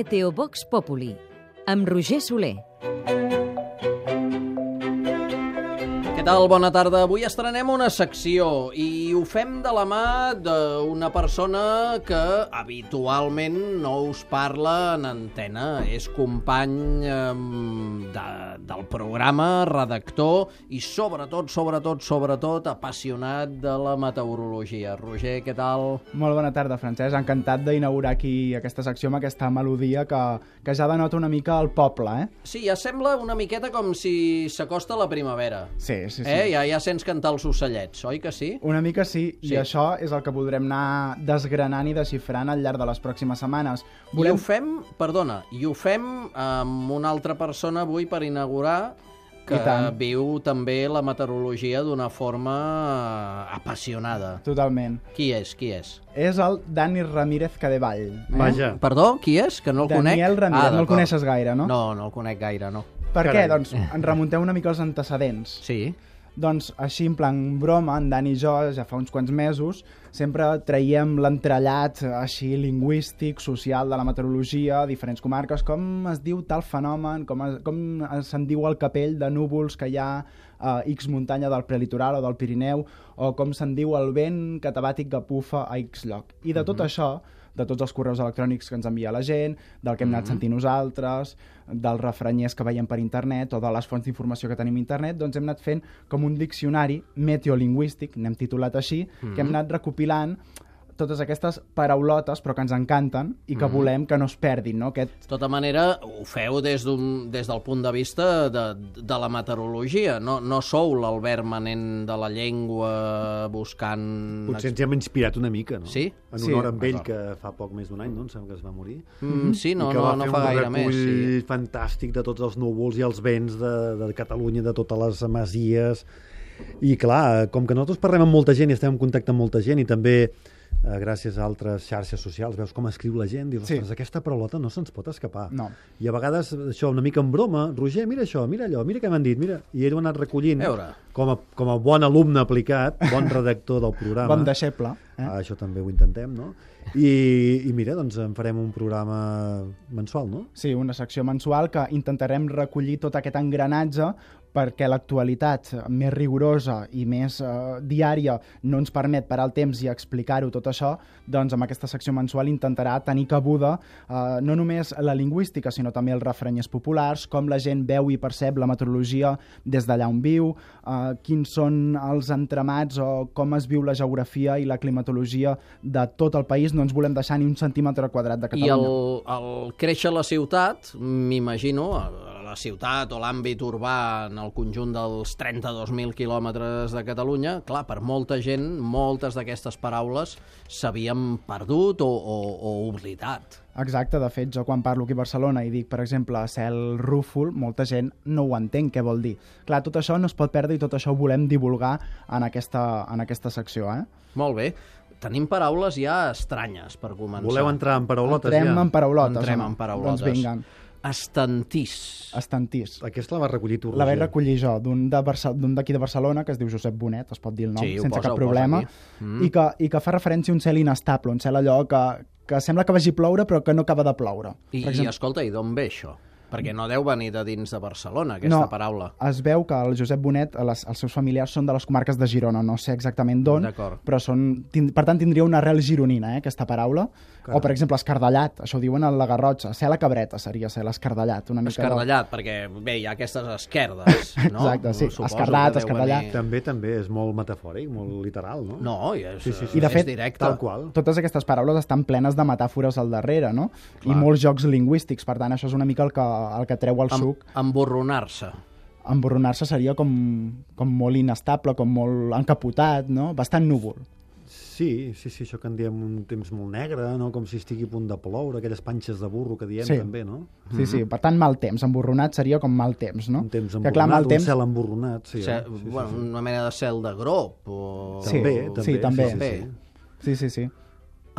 Meteo Vox Populi, amb Roger Soler. Què tal? Bona tarda. Avui estrenem una secció i ho fem de la mà d'una persona que habitualment no us parla en antena. És company del programa, redactor i sobretot apassionat de la meteorologia. Roger, què tal? Molt bona tarda, Francesc. Encantat d'inaugurar aquí aquesta secció amb aquesta melodia que ja denota una mica el poble, Sí, ja sembla una miqueta com si s'acosta la primavera. Sí. Ja sents cantar els ocellets, oi que sí? Una mica sí, i això és el que podrem anar desgranant i desxifrant al llarg de les pròximes setmanes. I ho fem amb una altra persona avui per inaugurar que viu també la meteorologia d'una forma apassionada. Totalment. Qui és? És el Dani Ramírez Cadevall. Vaja. Perdó, qui és? Que no el conec? Daniel Ramírez, no el coneixes gaire, no? No el conec gaire, no. Per què? Doncs ens remuntem una mica als antecedents. Sí. Doncs així, en plan broma, en Dani i jo, ja fa uns quants mesos, sempre traiem l'entrellat així lingüístic, social de la meteorologia a diferents comarques, com es diu tal fenomen, com se'n diu el capell de núvols que hi ha a X muntanya del prelitoral o del Pirineu, o com se'n diu el vent catabàtic que bufa a X lloc. I de tot això, de tots els correus electrònics que ens envia la gent, del que hem anat sentint nosaltres, dels refrenyers que veiem per internet o de les fonts d'informació que tenim a internet, doncs hem anat fent com un diccionari meteolingüístic, n'hem titulat així, que hem anat recopilant totes aquestes paraulotes, però que ens encanten i que volem que no es perdin, no? De tota manera, ho feu des del punt de vista de la meteorologia. No sou l'Albert Manent de la llengua buscant... Potser ens hem inspirat una mica, no? Sí? En honor amb ell, que fa poc més d'un any, no? Em sembla que es va morir. Sí, no fa gaire més. I que va fer un recull fantàstic de tots els núvols i els vents de Catalunya, de totes les masies. I clar, com que nosaltres parlem amb molta gent i estem en contacte amb molta gent i també gràcies a altres xarxes socials, veus com escriu la gent, dius, ostres, aquesta paraulota no se'ns pot escapar. No. I a vegades, això, una mica en broma, Roger, mira això, mira allò, mira què m'han dit, mira. I ell ho ha anat recollint com a bon alumne aplicat, bon redactor del programa. Bon deixeble. Això també ho intentem, no? I mira, doncs en farem un programa mensual, no? Sí, una secció mensual que intentarem recollir tot aquest engranatge perquè l'actualitat més rigorosa i més diària no ens permet parar el temps i explicar-ho tot això, doncs amb aquesta secció mensual intentarà tenir cabuda no només la lingüística, sinó també els refrenyers populars, com la gent veu i percep la meteorologia des d'allà on viu, quins són els entramats o com es viu la geografia i la climatologia de tot el país. No ens volem deixar ni un centímetre quadrat de Catalunya. I el créixer a la ciutat, m'imagino, la ciutat o l'àmbit urbà en el conjunt dels 32.000 quilòmetres de Catalunya, clar, per molta gent, moltes d'aquestes paraules s'havien perdut o oblidat. Exacte, de fet, jo quan parlo aquí a Barcelona i dic, per exemple, cel rúfol, molta gent no ho entén què vol dir. Clar, tot això no es pot perdre i tot això ho volem divulgar en aquesta secció, Molt bé. Tenim paraules ja estranyes per començar. Voleu entrar en paraulotes Entrem en paraulotes. Entrem en paraulotes. Doncs vinga. Estantís. Aquesta la vas recollir tu, Roger. La vaig recollir jo, d'un d'aquí de Barcelona, que es diu Josep Bonet, es pot dir el nom, sense cap problema, i que fa referència a un cel inestable, un cel allò que sembla que vagi ploure però que no acaba de ploure. I escolta, i d'on ve això? Perquè no deu venir de dins de Barcelona, aquesta paraula. Es veu que el Josep Bonet, els seus familiars són de les comarques de Girona, no sé exactament d'on, però per tant tindria una arrel gironina, aquesta paraula. Clar. O, per exemple, escardellat, això ho diuen a la Garrotxa, cel a cabreta seria ser l'escardellat. Escardellat, perquè bé, hi ha aquestes esquerdes, no? Exacte, sí, escardat, escardellat. També és molt metafòric, molt literal, no? No, és I de fet, directe. Tal qual. Totes aquestes paraules estan plenes de metàfores al darrere, no? Clar. I molts jocs lingüístics, per tant, això és una mica el que treu el suc. Emborronar-se. Emborronar-se seria com molt inestable, com molt encapotat, no? Bastant núvol. Sí, això que en diem un temps molt negre, no? Com si estigui a punt de ploure, aquelles panxes de burro que diem també, no? Sí, per tant, mal temps. Emborronat seria com mal temps, no? Un temps emborronat, un cel emborronat, sí. Una mena de cel de grop. També. Sí.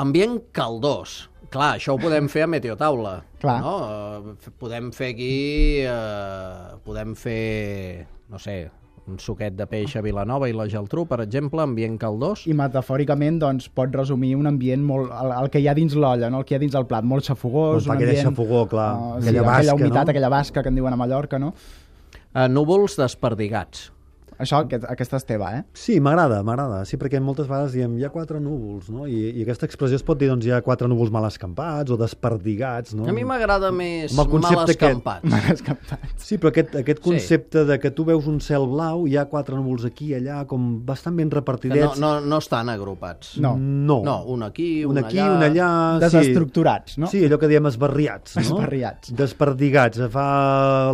Ambient caldós. Clar, això ho podem fer a Meteotaula. Clar. No? Podem fer aquí... no sé, un suquet de peix a Vilanova i la Geltrú, per exemple, ambient caldós. I metafòricament doncs, pot resumir un ambient molt... El que hi ha dins l'olla, no? El que hi ha dins el plat, molt xafogós. Un aquella xafogó, clar. Aquella basca, humitat, no? Aquella basca que en diuen a Mallorca, no? Núvols desperdigats. Això, aquesta és teva, eh? Sí, m'agrada. Sí, perquè moltes vegades diem hi ha 4 núvols, no? I aquesta expressió es pot dir, doncs, hi ha 4 núvols mal escampats o desperdigats, no? A mi m'agrada més mal escampats. Mal escampats. Sí, però aquest concepte de que tu veus un cel blau, hi ha 4 núvols aquí i allà, com bastant ben repartidets. Que no estan agrupats. No, un aquí, un allà. Desestructurats, no? Sí, allò que diem esbarriats, no? Esbarriats. Desperdigats. Fa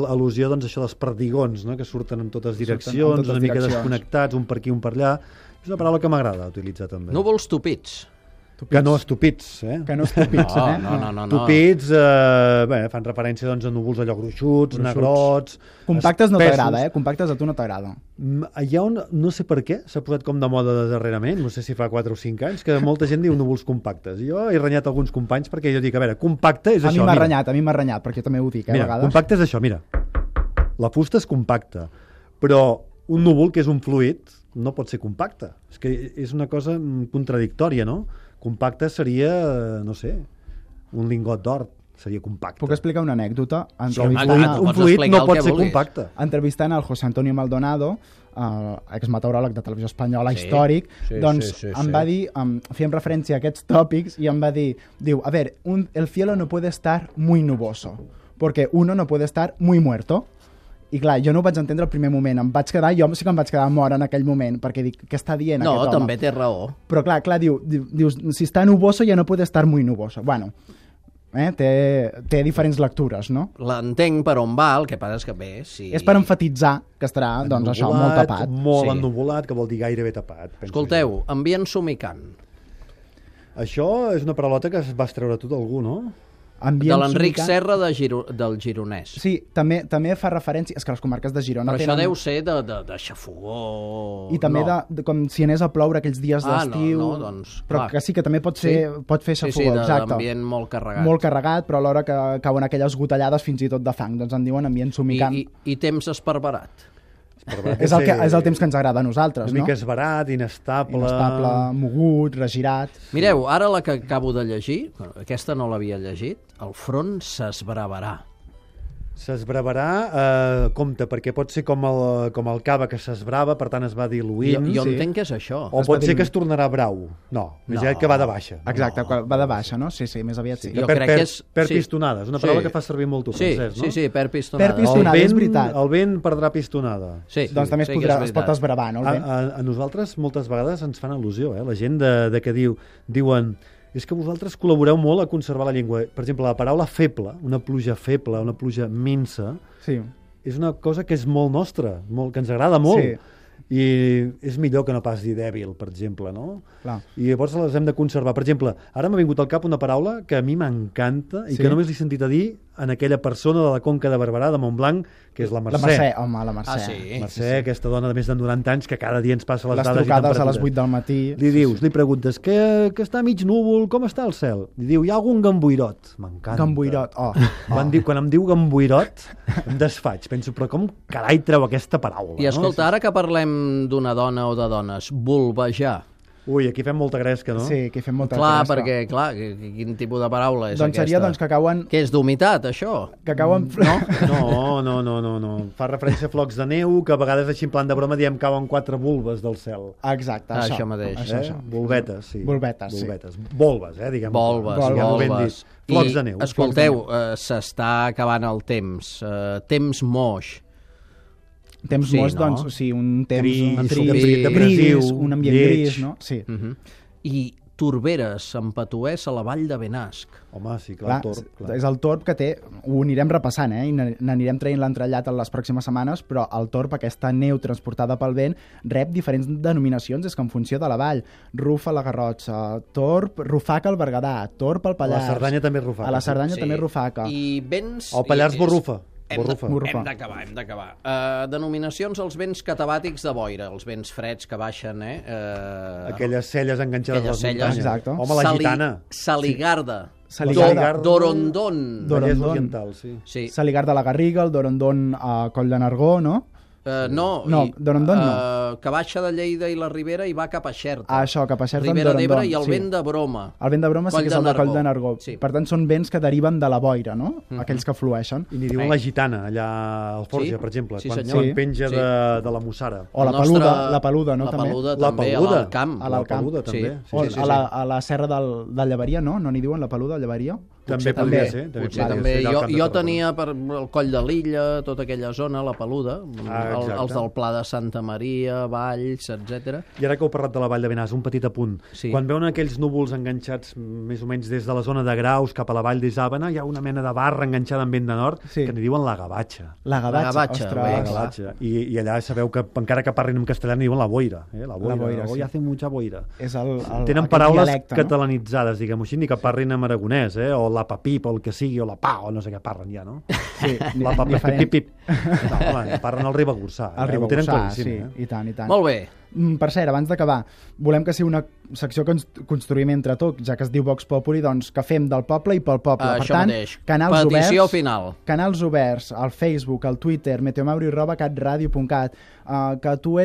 al·lusió, doncs, això dels perdigons, no? Que surten en totes direccions, una mica desconnectats, un per aquí, un per allà. És una paraula que m'agrada utilitzar també. Núvols tupits. Que no estupits, eh? Que no estupits, eh? No. Tupits, fan referència doncs, a núvols allò gruixuts, negrots... Compactes no t'agrada, eh? Compactes a tu no t'agrada. Hi ha no sé per què, s'ha posat com de moda darrerament, no sé si fa 4 o 5 anys, que molta gent diu núvols compactes. Jo he renyat alguns companys perquè jo dic, a veure, compacte és això. A mi m'ha renyat, perquè jo també ho dic, mira, a vegades. Compacte és això, mira. La fusta és compacta, però un núvol, que és un fluid, no pot ser compacte. És que és una cosa contradictòria, no? Compacte seria, no sé, un lingot d'or, seria compacte. Puc explicar una anècdota? Un fluid no pot ser compacte. Entrevistant el José Antonio Maldonado, exmeteoròleg de Televisió Espanyola, històric, em va dir, fèiem referència a aquests tòpics, i em va dir, a ver, el cielo no puede estar muy nuboso, porque uno no puede estar muy muerto. I clar, jo no ho vaig entendre al primer moment. Jo sí que em vaig quedar mort en aquell moment, perquè dic, què està dient aquest home? No, també té raó. Però clar, dius, si està nuboso ja no puede estar muy nuboso. Bueno, té diferents lectures, no? L'entenc per on va, el que passa és que bé, sí... És per enfatitzar que estarà, doncs això, molt tapat. Molt ennuvolat, que vol dir gairebé tapat. Escolteu, ambient somicant. Això és una parolota que vas treure tu d'algú, no? De l'Enric Serra del Gironès. Sí, també fa referència... És que les comarques de Girona però això deu ser de xafogó... I també com si anés a ploure aquells dies d'estiu... doncs... Però que sí, que també pot fer xafogó, exacte. D'ambient molt carregat. Molt carregat, però alhora que cauen aquelles gotellades fins i tot de fang. Doncs en diuen ambient somicant. I temps esparverat. És el temps que ens agrada a nosaltres, no? Una mica esbarat, inestable... Mogut, regirat... Mireu, ara la que acabo de llegir, aquesta no l'havia llegit, el front s'esbravarà. S'esbravarà, compte, perquè pot ser com el cava que s'esbrava, per tant es va diluint. Jo entenc que és això. O pot ser que es tornarà brau. No, més aviat que va de baixa. Exacte, va de baixa, no? Sí, més aviat sí. Jo crec que és... Per pistonada, és una paraula que fa servir molt tu, Francesc, no? Sí, per pistonada. Per pistonada, és veritat. El vent perdrà pistonada. Sí, doncs també es pot esbravar, no? A nosaltres moltes vegades ens fan al·lusió, la gent de que diuen... És que vosaltres col·laboreu molt a conservar la llengua. Per exemple, la paraula feble, una pluja feble, una pluja minsa, és una cosa que és molt nostra, que ens agrada molt. Sí. I és millor que no pas dir dèbil, per exemple, no? Clar. I llavors les hem de conservar. Per exemple, ara m'ha vingut al cap una paraula que a mi m'encanta i que només l'he sentit a dir en aquella persona de la Conca de Barberà, de Montblanc, que és la Mercè. La Mercè, home, la Mercè. Mercè, aquesta dona de més de 90 anys que cada dia ens passa les dades i trucades a les 8 del matí. Li preguntes que està mig núvol, com està el cel? Li diu, hi ha algun gamboirot. M'encanta. Gamboirot, Quan em diu gamboirot, em desfaig. Penso, però com carai treu aquesta paraula? I escolta, ara que parlem d'una dona o de dones, bulbejar. Ui, aquí fem molta gresca, no? Sí, aquí fem molta gresca. Perquè, quin tipus de paraula és aquesta? Seria que cauen... Què és d'humitat, això? Que cauen... No. Fa referència a flocs de neu, que a vegades així en plan de broma diem cauen 4 bulbes del cel. Exacte, això mateix. Això. Bulbetes, sí. Bulbetes. Bolbes, diguem. Bolbes. Flocs de neu. Escolteu, s'està acabant el temps. Temps moix. Temps moix, doncs, sí, un temps gris, un ambient gris, no? Sí. I torberes, empatuers a la vall de Benasc. Home, sí, clar, el torb. És el torb que té, ho anirem repassant, i n'anirem traient l'entrellat en les pròximes setmanes, però el torb, aquesta neu transportada pel vent, rep diferents denominacions, és que en funció de la vall. Rufa a la Garrotxa, torb, rufaca al Berguedà, torb al Pallars. A la Cerdanya també és rufaca. A la Cerdanya també és rufaca. I vents... Al Pallars borrufa. Hem d'acabar. Denominacions als vents catabàtics de boira, els vents freds que baixen, aquelles celles enganxades a les muntanyes. Exacte. Home, la gitana. Saligarda. Dorondon. Oriental, sí. Saligarda a la Garriga, el Dorondon a Coll de Nargó, no? No, Dorondon no. Que baixa de Lleida i la Ribera i va cap a Xerta. Això, cap a Xerta en Ribera Dorondon. d'Ebre i el vent de Broma. El vent de Broma sí que és el de Coll de Nargó. Sí. Per tant, són vents que deriven de la boira, no? Aquells que flueixen. I n'hi diuen la gitana, allà al Forja, per exemple, quan penja de la Mussara. O la peluda, no? La també. peluda també, a l'Alcamp. A l'Alcamp, també. O a la serra del Llevaria, no? No n'hi diuen la peluda, Llevaria? També podria ser. Potser també. Jo tenia per el Coll de l'Illa, tota aquella zona, la peluda, els del Pla de Santa Maria, Valls, etc. I ara que heu parlat de la Vall de Benàs, un petit apunt. Sí. Quan veuen aquells núvols enganxats més o menys des de la zona de Graus cap a la Vall d'Isàvena, hi ha una mena de barra enganxada en vent de nord que n'hi diuen la gavatxa. La gavatxa, ostres. La gavatxa. I allà sabeu que encara que parlin en castellà n'hi diuen la boira. La boira. Hoy hace mucha boira. Tenen paraules dialecte, catalanitzades, diguem-ho així, ni que parlin en aragonès, o la papip, o el que sigui, o la pa, o no sé què parlen ja, no? Sí, la papip. No, home, parlen el ribagorçà. El ribagorçà, sí, i tant. Molt bé. Per cert, abans d'acabar, volem que sigui una secció que ens construïm entre tots, ja que es diu Vox Populi, doncs que fem del poble i pel poble. Per tant, canals petició oberts, final. Canals oberts al Facebook, al Twitter, meteomauri@catradio.cat, que tu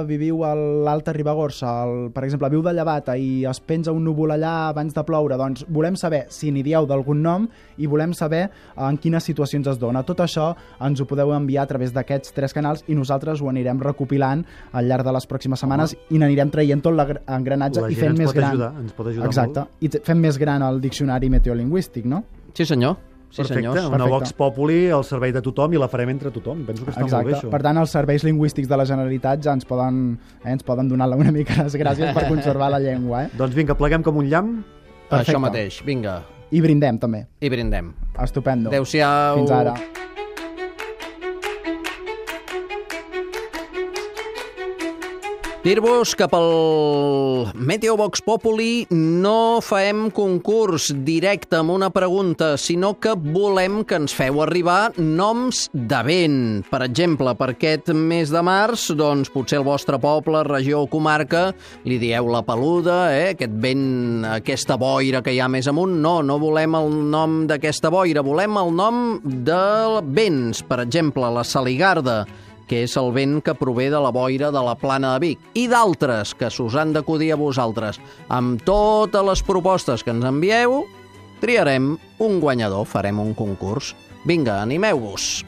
viviu a l'Alta Ribagorça, per exemple, viu de Llevata i es penja un núvol allà abans de ploure, doncs volem saber si n'hi dieu d'algun nom i volem saber en quines situacions es dona. Tot això ens ho podeu enviar a través d'aquests 3 canals i nosaltres ho anirem recopilant al llarg de les pròximes setmanes i n'anirem traient tot l'engranatge i fent més gran. Ens pot ajudar exacte, molt. I fem més gran el diccionari meteolingüístic, no? Sí, senyor. Sí, perfecte, una Vox Populi al servei de tothom i la farem entre tothom. Penso que està molt bé, això. Per tant, els serveis lingüístics de la Generalitat ja ens poden donar una mica les gràcies per conservar la llengua. Doncs vinga, pleguem com un llamp. Perfecte. Això mateix, vinga. I brindem, també. I brindem. Estupendo. Adéu-siau. Fins ara. Dir-vos que pel Meteo Vox Populi no faem concurs directe amb una pregunta, sinó que volem que ens feu arribar noms de vent. Per exemple, per aquest mes de març, doncs potser el vostre poble, regió o comarca li dieu la peluda, aquest vent, aquesta boira que hi ha més amunt. No volem el nom d'aquesta boira, volem el nom de vents. Per exemple, la Saligarda, que és el vent que prové de la boira de la Plana de Vic, i d'altres que s'us han d'acudir a vosaltres. Amb totes les propostes que ens envieu, triarem un guanyador, farem un concurs. Vinga, animeu-vos!